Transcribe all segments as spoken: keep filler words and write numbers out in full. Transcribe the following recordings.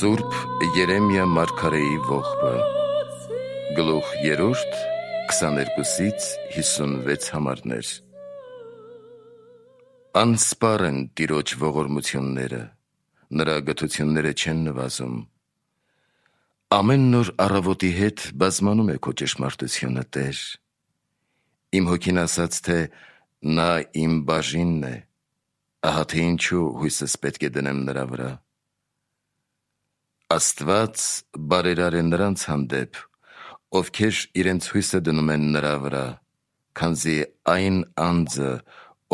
Սուրբ Երեմիա մարգարեի ողբը, գլուխ երրորդ, քսաներկուսից հիսունվեց համարներ։ Անսպար են Տիրոջ ողորմությունները, նրա գթությունները չեն նվազում։ Ամեն նոր առավոտի հետ բազմանում է քո ճշմարտությունը, Տեր։ Իմ հոգին ասաց, թե նա իմ բաժինն է, ահա թե ինչու հույսս պետք է դնեմ նրա վրա։ Աստված բարերար է նրանց հանդեպ, ովքեր իրենց հույսը դնում են նրա վրա, քանզի այն անձը,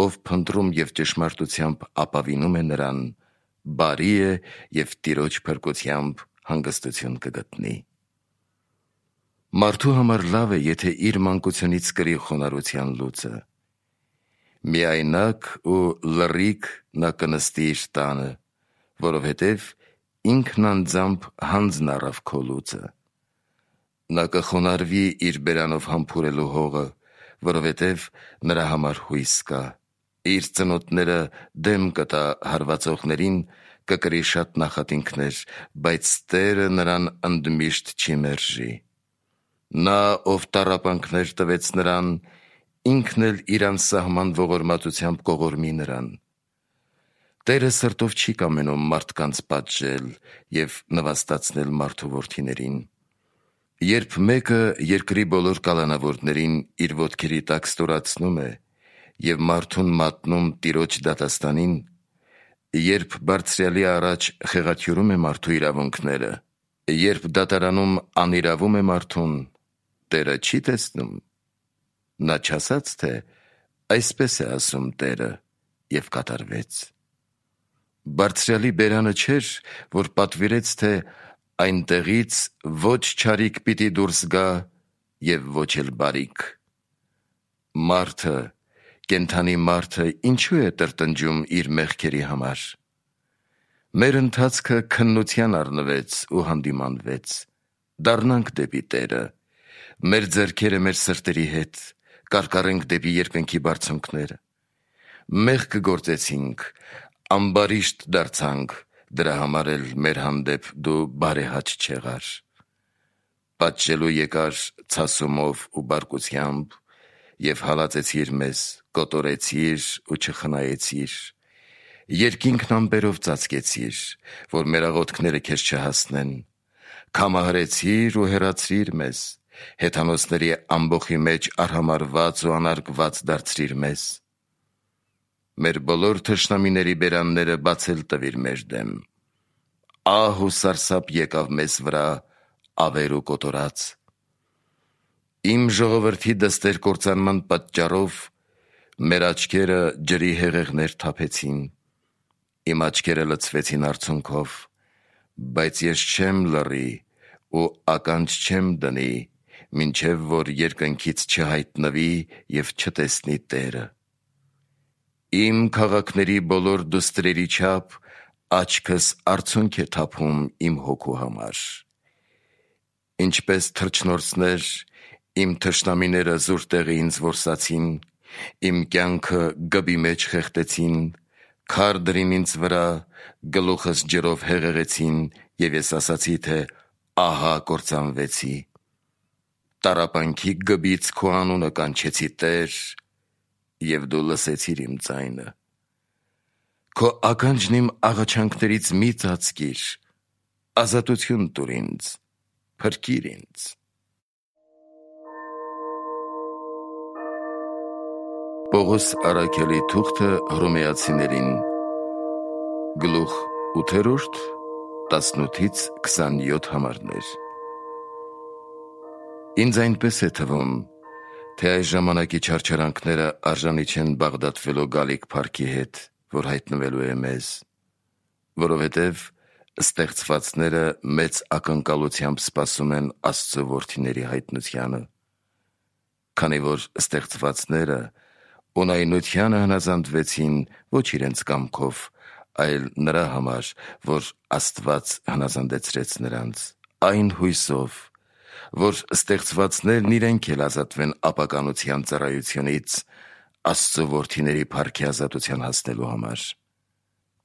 ով փնտրում և ճշմարտությամբ ապավինում է նրան, բարի է և Տիրոջ փրկությամբ հանգստություն կգտնի։ Մարդու համար լավ է, եթե իր մանկությունից կրի խոնարհության լուծը։ Միայնակ ու լռիկ նա կնստի իր տանը, որովհետև ինքն անձամբ հանձն առավ քո լուծը։ Նա կխոնարհվի իր բերանով համբուրելու հողը, որովհետև նրա համար հույս կա։ Իր ծնոտները դեմ կտա հարվածողներին, կկրի շատ նախատինքներ, բայց Տերը նրան ընդմիշտ չի մերժի։ Նա, ով տառապանքներ տվեց նրան, ինքն էլ իր անսահման ողորմածությամբ կողորմի նրան։ Տերը սրտով չի կամենում մարդկանց պատժել և նվաստացնել մարդու որդիներին։ Երբ մեկը երկրի բոլոր կալանավորներին իր ոտքերի տակ ստորացնում է և մարդուն մատնում Տիրոջ դատաստանին, երբ Բարձրյալի առաջ խեղաթյուրում է մարդու իրավունքները, երբ դատարանում անիրավում է մարդուն, Տերը չի տեսնում։ Նա չասաց, թե այսպես է ասում Տերը, և կատարվեց։ Բարձրյալի բերանը չէր, որ պատվիրեց, թե այնտեղից ոչ չարիք պիտի դուրս գա և ոչ էլ բարիք։ Մարդը, կենդանի մարդը ինչու է տրտնջում իր մեղքերի համար։ Մեր ընթացքը քննության առնվեց ու հանդիմանվեց։ Դառնանք դեպի Տերը, մեր ձեռքերը մեր սրտերի հետ, կարկառենք դեպի երկնքի բարձունքները։ Մեղք գործեցինք, ամբարիշտ դարձանք, դրա համար էլ մեր հանդեպ դու բարեհաճ չեղար։ Պատժելու եկար ցասումով ու բարկությամբ և հալածեցիր մեզ, կոտորեցիր ու չխնայեցիր։ Երկինքն ամպերով ծածկեցիր, որ մեր աղոթքները քեզ չհասնեն։ Քամահարեցիր ու հեռացրիր մեզ, հեթանոսների ամբոխի մեջ արհամարհված ու անարգված դարձրիր մեզ։ Մեր բոլոր թշնամիների բերանները բացել տվիր մեր դեմ։ Ահ ու սարսափ եկավ մեզ վրա, ավեր ու կոտորած։ Իմ ժողովրդի դստեր կործանման պատճառով մեր աչքերը ջրի հեղեղներ թափեցին, իմ աչքերը լցվեցին արցունքով, բայց ես չեմ լռի ու ականջ չեմ դնի, մինչև որ երկնքից չհայտնվի և չտեսնի Տերը։ Իմ քաղաքների բոլոր դուստրերի չափ աչքս արցունք է թափում իմ հոգու համար։ Ինչպես թռչնորսներ, իմ թշնամիները զուր տեղը ինձ որսացին, իմ կյանքը գբի մեջ խեղդեցին, քար դրին ինձ վրա, գլուխս ջրով հեղեղեցին, և ես ասացի, թե ահա կործանվեցի։ Տառապանքի գբից քո անունը կանչեցի, Տեր, և դու լսեցիր իմ ձայնը։ Քո ականջն իմ աղաչանքներից մի ծածկիր, ազատություն տուր ինձ, փրկիր ինձ։ Պողոս առաքյալի թուղթը Հռոմեացիներին, գլուխ ութերորդ, տասնութից քսանյոթ համարներ։ Ինձ այնպես է թվում, թե այս ժամանակի չարչարանքները արժանի չեն բաղդատվելու գալիք փառքի հետ, որ հայտնվելու է մեզ, որովհետև ստեղծվածները մեծ ակնկալությամբ սպասում են Աստծո որդիների հայտնությանը, քանի որ ստեղծվածները ունայնությանը հնազանդվեցին ոչ իրենց կամքով, այլ նրա համար, որ Աստված հնազանդեցրեց նրանց, այն հույսով, որ ստեղծվածներն իրենք էլ ազատվեն ապականության ծառայությունից Աստծո որդիների փառքի ազատության հասնելու համար։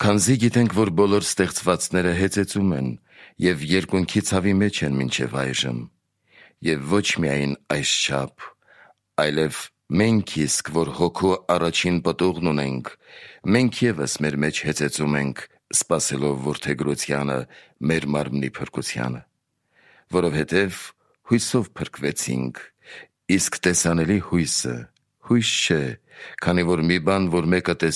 Քանզի գիտենք, որ բոլոր ստեղծվածները հեծեծում են և երկունքի ցավի մեջ են մինչև այժմ, և ոչ միայն այսչափ, այլև մենք իսկ, որ հոգու առաջին պտուղն ունենք, մենք ևս մեր մեջ հեծեծում ենք, սպասելով որդեգրությանը, մեր մարմնի փրկությանը, որովհետև հույսով փրկվեցինք, իսկ տեսանելի հույսը հույս չէ, քանի որ մի բան, որ մեկը